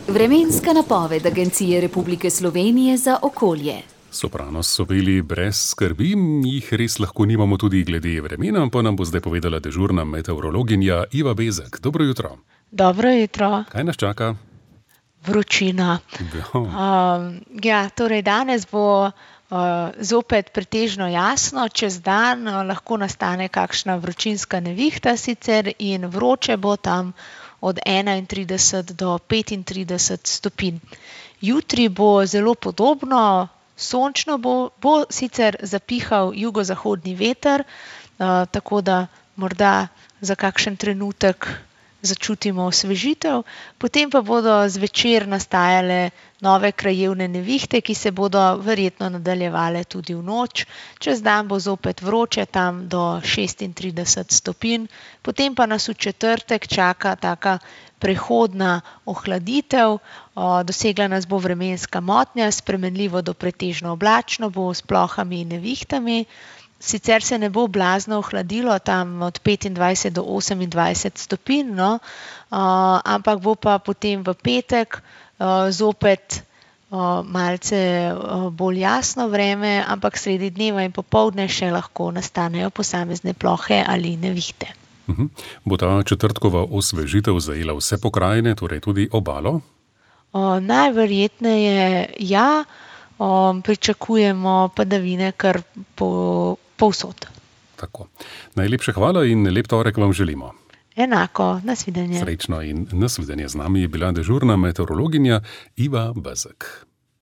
Vremenska napoved Agencije Republike Slovenije za okolje. Sopranos so bili brez skrbi, jih res lahko nimamo tudi glede vremena, pa nam bo zdaj povedala dežurna meteorologinja Iva Bezek. Dobro jutro. Dobro jutro. Kaj nas čaka? Vročina. Torej danes bo zopet pretežno jasno, čez dan lahko nastane kakšna vročinska nevihta sicer in vroče bo tam od 31 do 35 stopinj. Jutri bo zelo podobno, sončno bo sicer zapihal jugozahodni veter, tako da morda za kakšen trenutek začutimo osvežitev, potem pa bodo zvečer nastajale nove krajevne nevihte, ki se bodo verjetno nadaljevale tudi v noč. Čez dan bo zopet vroče, tam do 36 stopinj, potem pa nas v četrtek čaka taka prehodna ohladitev, dosegla nas bo vremenska motnja, spremenljivo do pretežno oblačno bo s plohami in nevihtami. Sicer se ne bo blazno ohladilo, tam od 25 do 28 stopinj, ampak bo pa potem v petek zopet malce bolj jasno vreme, ampak sredi dneva in popoldne še lahko nastanejo posamezne plohe ali nevihte. Bo ta četrtkova osvežitev zajela vse pokrajine, torej tudi obalo? Najverjetneje ja, pričakujemo padavine kar povsod. Tako. Najlepša hvala in lep torek vam želimo. Enako, nasvidenje. Srečno in nasvidenje. Z nami je bila dežurna meteorologinja Iva Bezek.